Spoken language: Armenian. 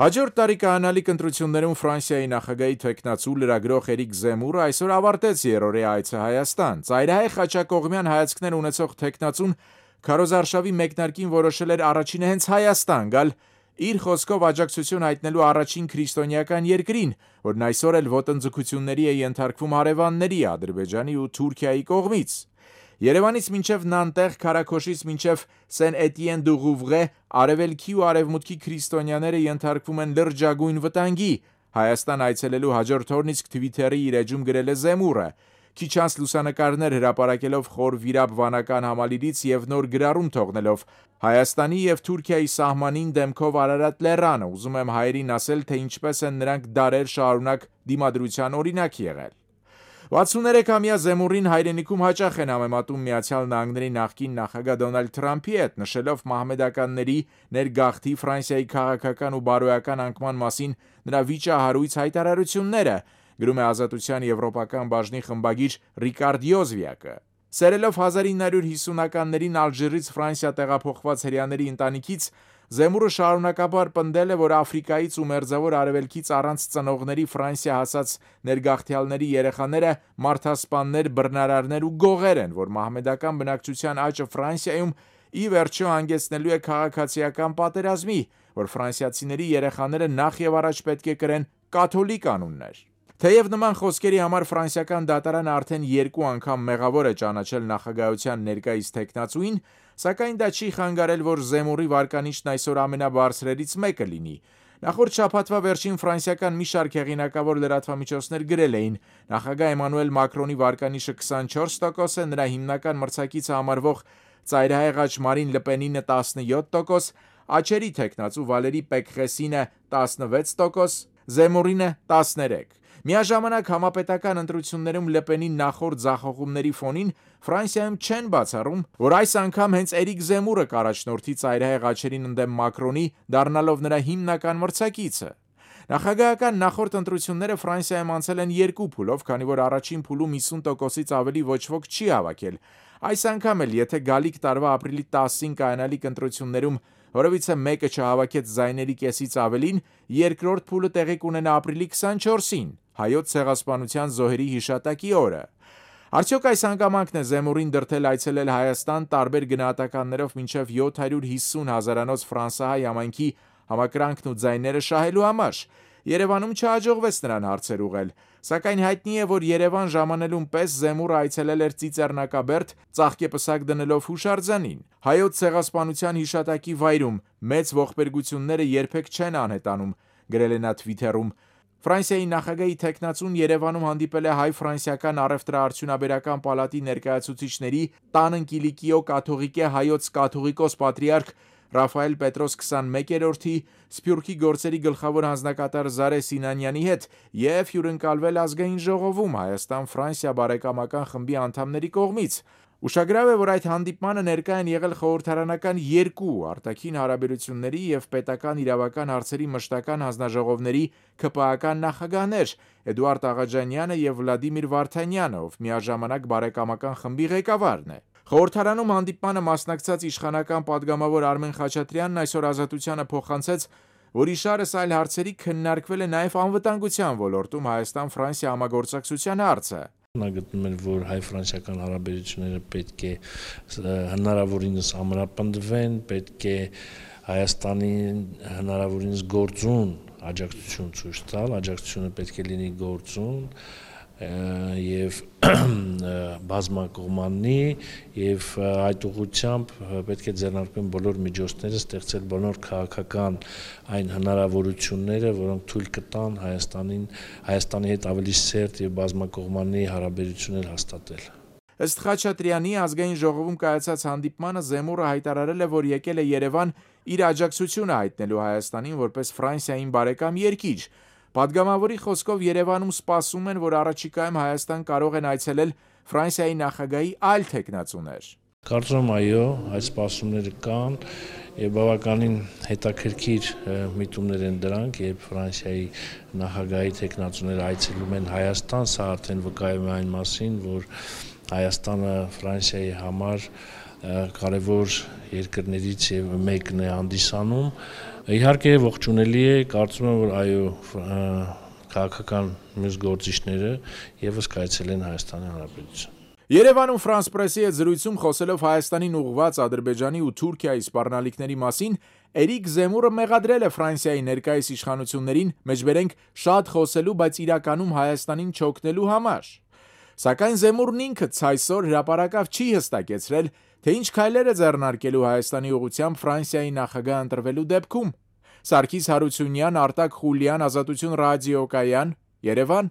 Հաջորդ տարի կայանալիք ընտրություններում Ֆրանսիայի նախագահի թեկնածու լրագրող Էրիկ Զեմուրը այսօր ավարտեց երրորդյա այցը Հայաստան։ Ծայրահեղ խաչակողմյան հայացքներ ունեցող թեկնածուն քարոզարշավի մեկնարկին որոշել էր առաջինը հենց Հայաստան գալ իր խոսքով աջակցություն հայտնելու առաջին քրիստոնեական երկրին, որն այսօր էլ ոտնձգությունների է ենթարկվում հարևանների Ադրբեջանի ու Թուրքիայի կողմից։ Երևանից մինչև Նանտեղ, Քարաքոշից մինչև Սեն-Էտիեն-դու-Ղուվղե արևելքի ու արևմուտքի քրիստոնյաները ենթարկվում են լրջագույն վտանգի։ Հայաստան այցելելու հաջորդ օրն իսկ Թվիթերի իր էջում գրել է Զեմուրը։ Քիչ անց լուսանկարներ հրապարակելով խոր վիրապ վանական համալիրից եւ նոր գրառում թողնելով Հայաստանի եւ Թուրքիայի սահմանին դեմքով Արարատ լեռանը, ուզում եմ հայերին ասել, թե ինչպես են նրանք դարեր շարունակ դիմադրության օրինակ եղել։ 63-ամյա Զեմուրին հայրենիքում հաճախ են համեմատում Միացյալ Նահանգների նախկին նախագահ Դոնալդ Թրամփի հետ, նշելով մահմեդականների ներգաղթի Ֆրանսիայի քաղաքական ու բարոյական անկման մասին նրա վիճահարույց հայտարարությունները, գրում է Ազատության եվրոպական բաժնի խմբագիր Ռիկարդ Յոզվիակը։ Սերելով 1950-ականներին Ալժիրից Ֆրանսիա տեղափոխված հրեաների ընտանիքից Զեմուրը շարունակաբար պնդել է, որ Աֆրիկայից ու Մերձավոր Արևելքից առանց ծնողների Ֆրանսիա հասած ներգաղթյալների երեխաները մարդասպաններ, բռնարարներ ու գողեր են, որ մահմեդական բնակչության աճը Ֆրանսիայում ի վերջո հանգեցնելու է քաղաքացիական պատերազմի, որ ֆրանսիացիների երեխաները նախ եւ առաջ պետք է կրեն կաթոլիկ անուններ։ Թեև նման խոսքերի համար ֆրանսիական դատարանը արդեն 2 անգամ մեղավոր է ճանաչել նախագահության ներկայիս թեկնածուին, սակայն դա չի խանգարել, որ Զեմուրի վարկանիշն այսօր ամենաբարձրերից մեկը լինի։ Նախորդ շաբաթվա վերջին ֆրանսիական մի շարք հեղինակավոր լրատվամիջոցներ գրել էին. նախագահ Էմանուել Մակրոնի վարկանիշը 24% է, նրա հիմնական մրցակիցը համարվող ծայրահեղ աջ Մարին Լպենինը 17%, աչերի թեկնածու Վալերի Պեկղեսինը 16%, Զեմուրինը 13%։ Միաժամանակ համապետական ընտրություններում Լպենի նախորդ ձախողումների ֆոնին Ֆրանսիայում չեն բացառում, որ այս անգամ հենց Էրիկ Զեմուրը կառաջնորդի ծայրահեղ աչերին ընդդեմ Մակրոնի, դառնալով նրա հիմնական մրցակիցը։ Նախագահական նախորդ ընտրությունները Ֆրանսիայում անցել են 2 փուլով, քանի որ առաջին փուլում 50%-ից ավելի ոչ ոք չի հավաքել։ Այս անգամ էլ, եթե գալիք տարվա ապրիլի 10-ին կայանալիք ընտրություններում որևիցե մեկը չհավաքեց ձայների կեսից ավելին, երկրորդ փուլը տեղի կունենա ապրիլի 24-ին, հայոց ցեղասպանության զոհերի հիշատակի օրը։ Արդյոք այս հանգամանքն է Զեմուրին դրդել այցելել Հայաստան տարբեր գնահատականներով մինչև 750 հազարանոց ֆրանսահայ համայնքի համակրանքն ու ձայները շահելու համար։ Երևանում չհաջողվեց նրան հարցեր ուղղել, սակայն հայտնի է, որ Երևան ժամանելուն պես Զեմուրը այցելել էր Ծիծեռնակաբերդ, ծաղկեպսակ դնելով հուշարձանին։ Հայոց ցեղասպանության հիշատակի վայրում մեծ ողբերգությունները երբեք չեն անհետանում, գրել է նա Թվիթերում։ Ֆրանսիայի նախագահի թեկնածուն Երևանում հանդիպել է հայ-ֆրանսիական առևտրաարդյունաբերական պալատի ներկայացուցիչների Տանն Կիլիկիո կաթողիկե հայոց կաթողիկոս պատրիարք Ռաֆայել Պետրոս 21-րդի, Սփյուռքի գործերի գլխավոր հանձնակատար Զարե Սինանյանի հետ եւ հյուրընկալվել ազգային ժողովում Հայաստան-Ֆրանսիա բարեկամական խմբի անդամների կողմից։ Ուշագրավ է, որ այդ հանդիպմանը ներկա են եղել խորհրդարանական 2 արտաքին հարաբերությունների եւ պետական իրավական հարցերի մշտական հանձնաժողովների ԿՊԱ-ական նախագահներ Էդուարդ Աղաջանյանը եւ Վլադիմիր Վարդանյանը, ով միաժամանակ բարեկամական խմբի ղեկավարն է։ Խորհրդարանում հանդիպմանը մասնակցած իշխանական падգամավոր Արմեն Խաչատրյանն այսօր Ազատությանը փոխանցեց, որ իշարս այլ հարցերի քննարկվել է նաև անվտանգության ոլորտում Հայաստան-Ֆրանսիա համագործակցության հարցը։ Նա գտնում են, որ հայ-ֆրանսիական հարաբերությունները պետք է հնարավորինս ամրապնդվեն, պետք է Հայաստանին հնարավորինս գործուն աջակցություն ցույց տալ, աջակցությունը պետք է լինի գործուն եւ բազմակողմանի եւ այդ ուղղությամբ պետք է ձեռնարկվեն բոլոր միջոցները, ստեղծել բոլոր քաղաքական այն հնարավորությունները, որոնք թույլ կտան Հայաստանի հետ ավելի սերտ եւ բազմակողմանի հարաբերություններ հաստատել։ Ըստ Խաչատրյանի ազգային ժողովում կայացած հանդիպմանը Զեմուրը հայտարարել է, որ եկել է Երևան իր աջակցությունը հայտնելու Հայաստանին որպես Ֆրանսիային բարեկամ երկիր։ Պատգամավորի խոսքով Երևանում սպասում են, որ առաջիկայում Հայաստան կարող են այցելել Ֆրանսիայի նախագահի այլ թեկնածուներ։ Կարծում եմ, այո, այդ սպասումները կան եւ բավականին հետաքրքիր միտումներ են դրանք, երբ Ֆրանսիայի նախագահի թեկնածուները այցելում են Հայաստան, սա արդեն վկայում է այն մասին, որ Հայաստանը Ֆրանսիայի համար կարևոր երկրներից եւ մեկն է հանդիսանում։ Իհարկե ողջունելի է, կարծում եմ, որ այո, քաղաքական մյուս գործիչները եւս կայացել են Հայաստանի Հանրապետություն։ Երևանում Ֆրանս պրեսի հետ զրույցում խոսելով Հայաստանին ուղղված Ադրբեջանի ու Թուրքիայի սպառնալիքների մասին, Էրիկ Զեմուրը մեղադրել է Ֆրանսիայի ներկայիս իշխանություններին, մեջբերենք շատ խոսելու, բայց իրականում Հայաստանին չօգնելու համար։ Սակայն Զեմուրն ինքը ցայսօր հրապարակավ չի հստակեցրել, թե ինչ քայլեր է ձեռնարկելու Հայաստանի ուղղությամբ Ֆրանսիայի նախագահ ընտրվելու դեպքում։ Սարգիս Հարությունյան, Արտակ Խուլյան, Ազատություն ռադիոկայան, Երևան։